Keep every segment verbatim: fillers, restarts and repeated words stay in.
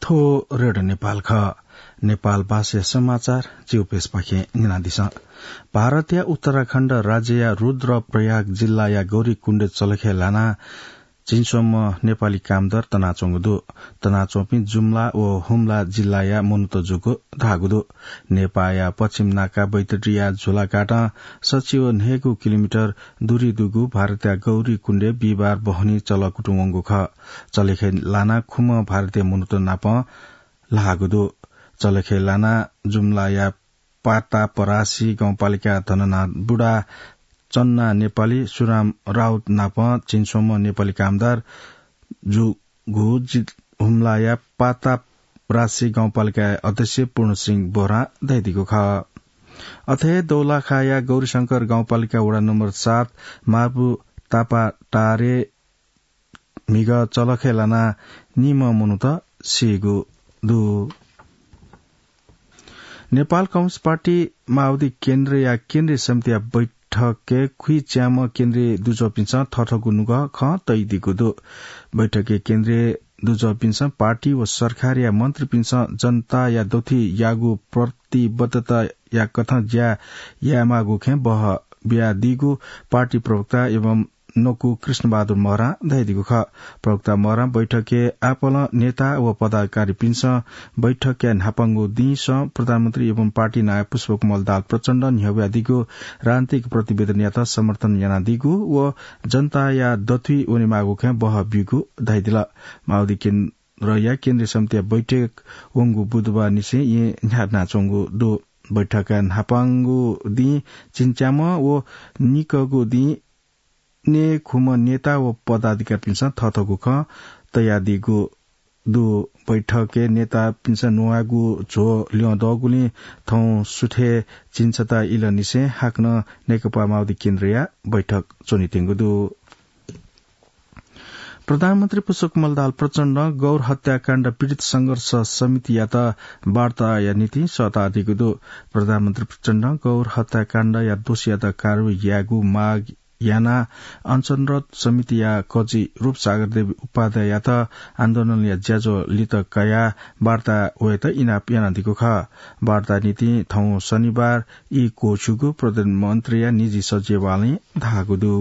थ्व रेडियो नेपाल खः। नेपाल भाषाया समाचार चिउपेसपाखें न्यनादिसँ। भारतया उत्तराखण्ड राज्यया रुद्रप्रयाग जिल्लाया गौरीकुण्डे चलखे लाना झिंस्वम्ह नेपाली कामदार तनाच्वंगु दु। तनाच्वंपिं जुम्ला व हुम्ला जिल्लाया मनूत जूगु धाःगु दु। नेपाःया पश्चिम नाका बैतडिया झुलाघाटं सच्छि व न्हय्गू किलोमिटर दूरी दुगु भारतया गौरीकुण्डे बिहिबार बहनी चलकुतुं वंगु खः। चलखे लाना खुम्ह भारतीय मनूत नाप ल्हाःगु दु। चलखे लाना जुम्लाया पातापरासी गाउँपालिका धननाथ बुढा, चन्ना नेपाली, सुराम राउत नाप झिंस्वम्ह नेपाली कामदार जूगु जि-, हुम्लाया पातापरासी गाउँपालिका अध्यक्ष पूर्णसिंह बोहरां धयादीगु खः। अथे दौलाखाया गौरीशंकर गाउँपालिका वडा नम्बर सात मार्पु तापाटारे म्हिगः चलखे लाना निम्ह मनूत सीगु दु। नेपाल कम्युनिस्ट पार्टी माओवादी केन्द्रया केन्द्रीय समितिया बैठकय् खुइच्याम्ह केन्द्रीय दुजःपिन्सं थःथःगु नुगः खँ तयादीगु दु। बैठकय् केन्द्रीय दुजःपिन्सं पार्टी व सरकारया मन्त्रीपिन्सं जनताया दथुइ याःगु प्रतिबद्धताया कथं ज्या यायेमाःगु खँय् बहः बियादीगु पार्टी प्रवक्ता एवं नकु कृष्णबहादुर महरां धयादीगु खः। प्रवक्ता महरां बैठकय् आपालं नेता व पदाधिकारीपिन्सं बैठकया न्हापांगु दिंसं प्रधानमन्त्री एवं पार्टी नायः पुष्पकमल दाहाल प्रचण्डं न्ह्यब्वयादीगु राजनीतिक प्रतिवेदनयात समर्थन यानादीगु व जनताया दथुइ वनेमाःगु खँय् बहः ब्यूगु धयादिल। माओवादी केन्द्रया केन्द्रीय समितिया बैठक वंगु बुधबार निसें येँ न्ह्यानाच्वंगु दु। बैठकया न्हापांगु दिं झिंच्याम्ह व निकःगु दिं नयेखुम्ह नेता व पदाधिकारीपिन्सं थःथःगु खँ तयादीगु दु। बैठकय् नेतापिन्सं न्ववाःगु झ्वः ल्यं दःगुलिं थौं सुथय् झिंछता इलंनिसें हाकनं नेकपा माओवादी केन्द्रया बैठक च्वनेत्यंगु दु। प्रधानमन्त्री पुष्पकमल दाहाल प्रचण्डं गौर हत्याकाण्ड पीडित संघर्ष समितियात वार्ताया निंतिं सःतादीगु दु। प्रधानमन्त्री प्रचण्डं गौर हत्याकाण्डया दोषीयात कारवाही यायेगु माग यानाः अनसनरत समितिया कजि रूपसागर देवी उपाध्याययात आन्दोलनया ज्याझ्वः लित कयाः वार्ता वयेत इनाप यानादीगु खः। वार्ता निंतिं थौं शनिबार ई क्वःछिउगु प्रधानमन्त्रीया निजी सचिवालयं धाःगु दु।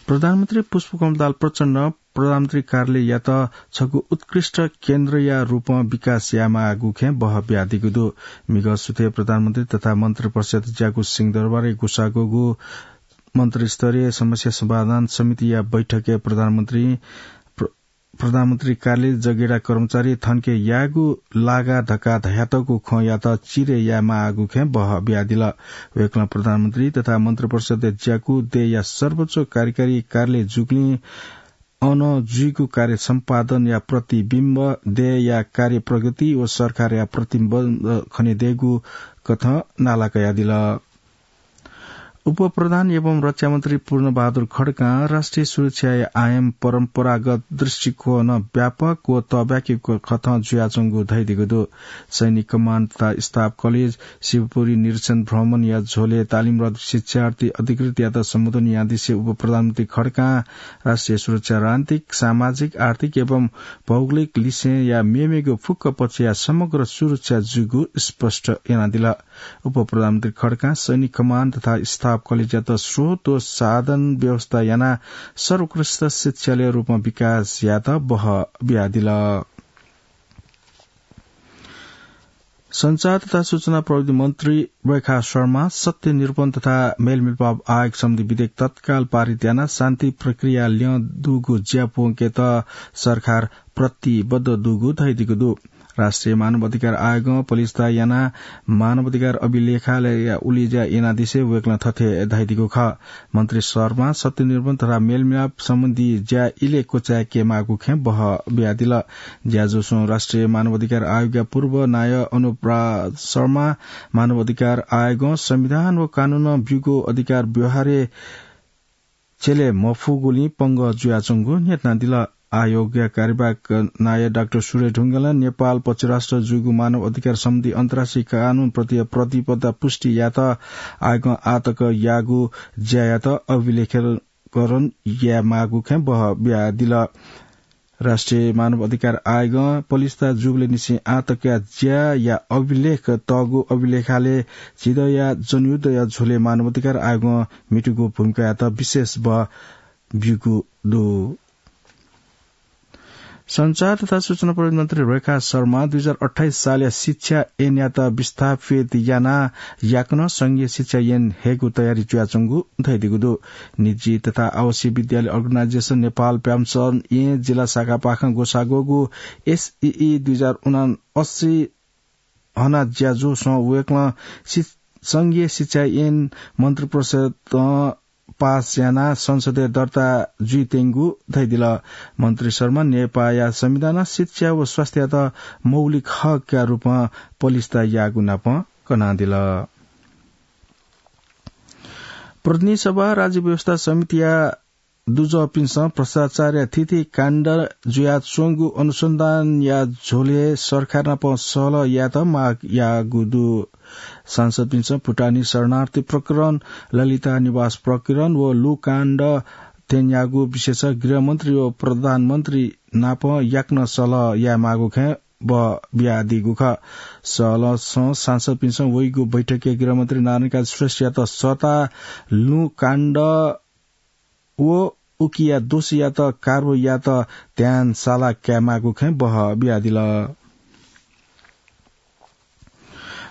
प्रधानमन्त्री पुष्पकमल दाहाल प्रचण्डं प्रधानमन्त्री कार्यालययात छगू उत्कृष्ट केन्द्रया रूपं विकास यायेमाःगु खँय् बहः बियादीगु दु। म्हिगः सुथय् प्रधानमन्त्री तथा मन्त्रिपरिषद ज्याकू सिंहदरबारय् गुसागूगु मन्त्रीस्तरीय समस्या समाधान समितिया बैठकय् प्रधानमन्त्री प्र-, प्रधानमन्त्री कार्यालय जगेडा कर्मचारी थनके यायेगु लागा धकाः धयातःगु खँयात चिरे यायेमाःगु खँय् बहः बियादिल। वय्कलं प्रधानमन्त्री तथा मन्त्रिपरिषदय् ज्याकू देय्‌या सर्वोच्च कार्यकारी कार्यालय जूगुलिं अन जुइगु कार्य सम्पादनया प्रतिबिम्ब, देय्‌या कार्य प्रगति व सरकारया प्रतिबन्ध खनेदयेगु कथं नाला कयादिल। उपप्रधान एवं रक्षामन्त्री पूर्णबहादुर खड्कां राष्ट्रिय सुरक्षाया आयाम परम्परागत दृष्टिकोणं व्यापक व तःब्याकेगु कथं जुयाच्वंगु धयादीगु दु। सैनिक कमाण्ड तथा स्टाफ कलेज शिवपुरी निरीक्षण भ्रमणया झ्वलय् तालिमरत शिक्षार्थी अधिकृतयात सम्बोधन यानादिसे उपप्रधानमन्त्री खड्कां राष्ट्रिय सुरक्षा रणनीतिक, सामाजिक, आर्थिक एवं भौगोलिक लिसेंया मेमेगु फुक्क पक्षया समग्र सुरक्षा जूगु स्पष्ट यानादिल। उपप्रधानमन्त्री खड्कां सैनिक कमाण्ड तथा स्टाफ कलेजयात स्रोत व साधन व्यवस्था यानाः सर्वोत्कृष्ट शिक्षालय रूपमा विकास यायेत बहः बियादिल। सञ्चार तथा सूचना प्रविधि मन्त्री रेखा शर्मा सत्य निरूपण तथा मेलमिलाप आयोग सम्बन्धी विधेयक तत्काल पारित यानाः शान्ति प्रक्रिया ल्यं दुगु ज्या प्वंकेत सरकार प्रतिबद्ध दुगु धयादीगु दु। राष्ट्रिय मानव अधिकार आयोगं पलिस्था यानाः मानव अधिकार अभिलेखालयया उलेज्या यानादिसे वय्कलं थथे धयादीगु खः। मन्त्री शर्मां सत्य निरूपण तथा मेलमिलाप सम्बन्धी ज्या इलय् क्वचाय्केमाःगु खँय् बहः बियादिल। ज्याझ्वलय् राष्ट्रिय मानव अधिकार आयोगया पूर्व नायः अनुप राज शर्मां मानव अधिकार आयोगं संविधान व कानूनं ब्यूगु अधिकार व्यवहारय् छ्यले मफुगुलिं पंगः जुयाच्वंगु न्ह्यथनादिल। आयोगया कार्यवाहक नायः डाक्टर सुरेश ढुङ्गेलं नेपाल पक्षराष्ट्र जूगु मानव अधिकार सम्बन्धी अन्तर्राष्ट्रिय कानूनप्रति प्रतिबद्धता पुष्टि यायेत आयोगं आःतक याःगु ज्यायात अभिलेखीकरण यायेमाःगु खँय् बहः बियादिल। राष्ट्रिय मानव अधिकार आयोगं पलिस्था जूबलय् निसें आः तकया ज्याया अभिलेख तःगु अभिलेखालय झिदँया जनयुद्धया झ्वलय् मानव अधिकार आयोगं म्हितूगु भूमिकायात विशेष बः ब्यूगु दु। सञ्चार तथा सूचना प्रविधि मन्त्री रेखा शर्मा दुई हजार अट्ठाइस सालया शिक्षा ऐनयात विस्थापित यानाः याकनं संघीय शिक्षा ऐन हयेगु तयारी जुयाच्वंगु धयादीगु दु। निजी तथा आवासीय विद्यालय अर्गनाइजेसन नेपाल प्याम्सन ऐ जिल्ला शाखापाखें ग्वसाः ग्वःगु एसईई दुई हजार उनासी हना ज्याझ्वलय् वय्कलं सि-, संघीय शिक्षा ऐन मन्त्रिपरिषदं पास यानाः संसदय् दर्ता जुइत्यंगु धयादिल। मन्त्री शर्मा नेपाःया संविधानं शिक्षा व स्वास्थ्ययात मौलिक हकया रूपमा पलिस्था याःगु नापं कनादिल। प्रतिनिधि सभा राज्य व्यवस्था समितिया दुजःपिन्सं भ्रष्टाचारया थीथी काण्ड जुयाच्वंगु अनुसन्धानया झ्वलय् सरकार नाप सहलह यायेत माग याःगु दु। सांसदपिन्सं भुटानी शरणार्थी प्रकरण, ललिता निवास प्रकरण व लु काण्ड त्यनागु विषयय् गृहमन्त्री व प्रधानमन्त्री नाप याकनं सहलह यायेमाःगु खँय् बः बियादीगु खः। सहलहसं सांसदपिन्सं वइगु बैठकय् गृहमन्त्री नारायणकाजी श्रेष्ठयात सःताः लु काण्ड व उकिया दोषीयात कारवाहीयात ध्यान साला कायेमाःगु खँय् बः बियादिल।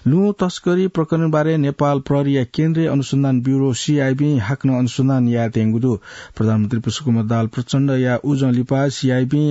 लुँ तस्करी प्रकरणबारे नेपाल प्रहरीया केन्द्रीय अनुसन्धान ब्यूरो, सीआईबी, हाकनं अनुसन्धान यायेत्यंगु दु। प्रधानमन्त्री पुष्पकमल दाहाल प्रचण्डया उजं लिपा सीआईबी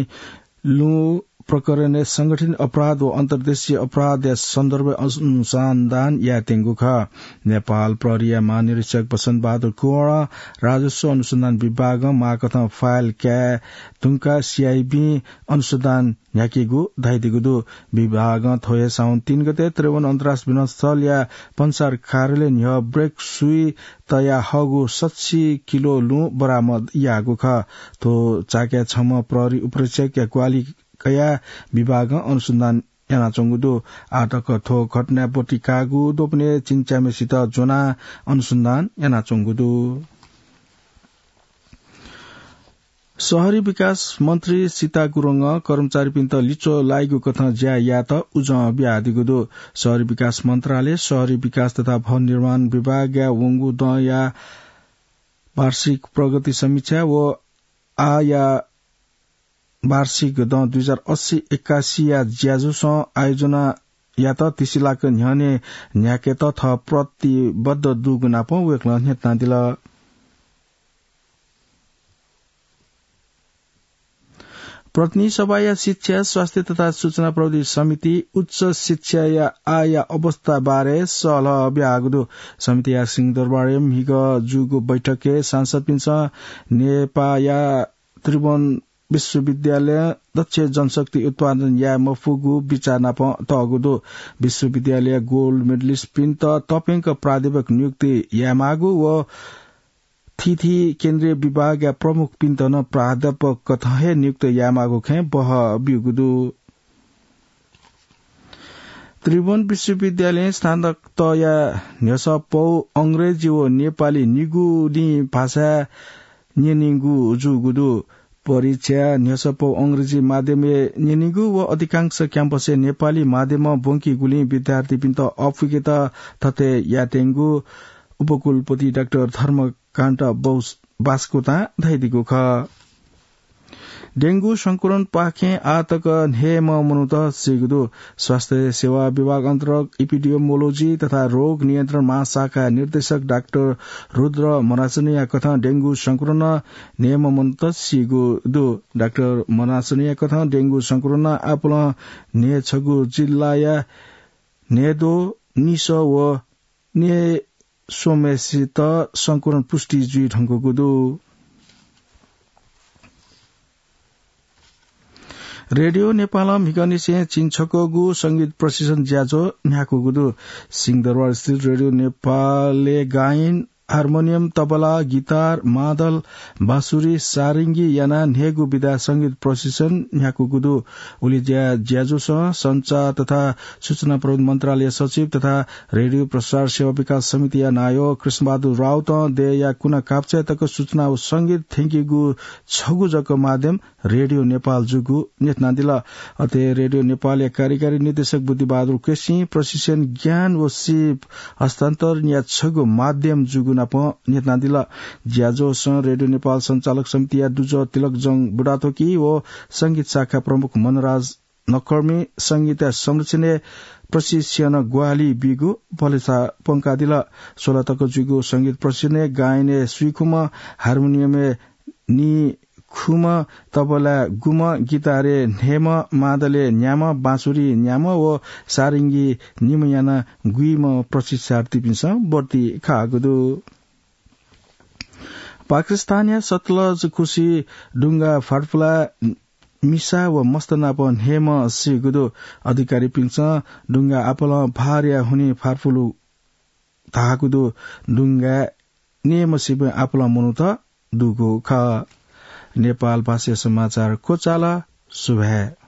लुँ प्रकरणय् संगठित अपराध व अन्तर्देशीय अपराधया सन्दर्भय् अनुसन्धान यायेत्यंगु खः। नेपाल प्रहरीया महानिरीक्षक बसन्त बहादुर कुँवरं राजस्व अनुसन्धान विभागं माःकथं फाइल काये धुंकाः सीआईबीं अनुसन्धान न्ह्याकीगु धयादीगु दु। विभागं थ्व हे साउन तीन गते त्रिभुवन अन्तर्राष्ट्रिय विमानस्थलया भन्सार कार्यालय न्ह्यः ब्रेक सुइ तयाहःगु सच्छि किलो लुँ बरामद याःगु खः। थ्व चाकय् छम्ह प्रहरी उपरीक्षकया ग्वाहालि कयाः विभागं अनुसन्धान यानाच्वंगु दु। आःतक थ्व घटनाय् ब्वति काःगु द्वपनय् चिन्च्याम्हसित ज्वनाः अनुसन्धान यानाच्वंगु दु। शहरी विकास मन्त्री सीता गुरुङं कर्मचारीपिन्त लिच्वः लाइगु कथं ज्या यायेत उजं बियादीगु दु। शहरी विकास मन्त्रालय, शहरी विकास तथा भवन निर्माण विभागया वंगु दँया वार्षिक प्रगति समीक्षा व आःया वार्षिक दँ दुई हजार अस्सी एकासीया ज्याझ्वलय् आयोजना यात तिसिलाक न्ह्यःने न्ह्याकेत थः प्रतिबद्ध दुगु नापं वय्कलं न्ह्यथनादिल। प्रतिनिधि सभाया शिक्षा, स्वास्थ्य तथा सूचना प्रविधि समिति उच्च शिक्षाया आःया अवस्था बारे सहलह ब्याहागु दु। समितिया सिंहदरबारय् म्हिगः जूगु बैठकय् सांसदपिन्सं नेपाःया त्रिभुवन विश्वविद्यालयं दक्ष जनशक्ति उत्पादन याये मफुगु बिचाः नाप तःगु दु। विश्वविद्यालयया गोल्ड मेडलिस्टपिन्त तप्यंक प्राध्यापक नियुक्ति यायेमाःगु व थीथी केन्द्रीय विभागया प्रमुखपिन्त नं प्राध्यापक कथं हे नियुक्त यायेमाःगु खँय् बहः ब्यूगु दु। त्रिभुवन विश्वविद्यालयं स्नातकतःया न्ह्यसः पौ अंग्रेजी व नेपाली निगुलिं भाषाय् न्यनीगु जूगु दु। परीक्षा न्ह्यसः पौ अंग्रेजी माध्यमय् न्यनीगु व अधिकांश क्याम्पसय् नेपाली माध्यमं ब्वंकीगुलिं विद्यार्थीपिन्त अःपुकेत थथे यायेत्यंगु उपकुलपति डाक्टर धर्मकान्त बौ-, बास्कोतां धयादीगु खः। डेंगू संक्रमणपाखें आःतक न्हय्म्ह मनूत सीगु दु। स्वास्थ्य सेवा विभाग अन्तर्गत इपिडियोमोलोजी तथा रोग नियन्त्रण महाशाखा निर्देशक डाक्टर रुद्र मनासनया कथं डेंगू संक्रमणं न्हय्म्ह मनूत सीगु दु। डाक्टर मनासनया कथं डेंगू संक्रमणं आपालं न्हय्छगू जिल्लाया न्हय्द्वः, निसः व न्हय्स्वम्हेसित संक्रमण पुष्टि जुइ धुंकूगु दु। रेडियो नेपालं म्हिगःनिसें झिंछक्वःगु संगीत प्रशिक्षण ज्याझ्वः न्ह्याकूगु दु। सिंहदरबारस्थित रेडियो नेपालय् गायन हार्मोनियम, तबला, गिटार, मादल, बाँसुरी, सारिङ्गी यानाः न्हय्गू विधा संगीत प्रशिक्षण न्ह्याकूगु दु। उलि ज्या ज्याझ्वलय् संचार तथा सूचना प्रविधि मन्त्रालय सचिव तथा रेडियो प्रसार सेवा विकास समितिया नायः कृष्णबहादुर राउतं देय्‌या कुना कापचाय् तक सूचना व संगीत थ्यंकीगु छगू जक माध्यम रेडियो नेपाल जूगु न्ह्यथनादिल। अथे रेडियो नेपालया कार्यकारी निर्देशक बुद्धिबहादुर केसीं प्रशिक्षण ज्ञान व सिप हस्तान्तरणया छगू माध्यम जूगु नाप न्ह्यथनादिल। ज्याझ्वलय् रेडियो नेपाल सञ्चालक समितिया दुजः तिलकजंग बुढाथोकी व संगीत शाखा प्रमुख मनराज नकर्मी संगीतया संरक्षणय् प्रशिक्षण ग्वाहालि बीगु भलसा प्वंकादिल। सोह्र तक जूगु संगीत प्रशिक्षणय् गायनय् स्वीखुम्ह, हार्मोनियमय् नीखुम्ह, तबलाय् गुम्ह, गिटारय् न्हय्म्ह, मादलय् न्याम्ह, बाँसुरी न्याम्ह व सारिङ्गी निम्ह यानाः गुइम्ह प्रशिक्षार्थीपिन्सं भर्ती खाःगु दु। पाकिस्तानया सतलज खुसी डुंगा फाँटफुलाय् मिसा व मस्त नाप न्हय्म्ह सीगु दु। अधिकारीपिन्सं डुंगा आपालं भारया हुनिं फाँटफुलु धाःगु दु। डुंगाय् न्हय्म्ह सीपिं आपालं मनूत दुगु खः। नेपाल भाषाया समाचार क्वचाल। सुभाय्।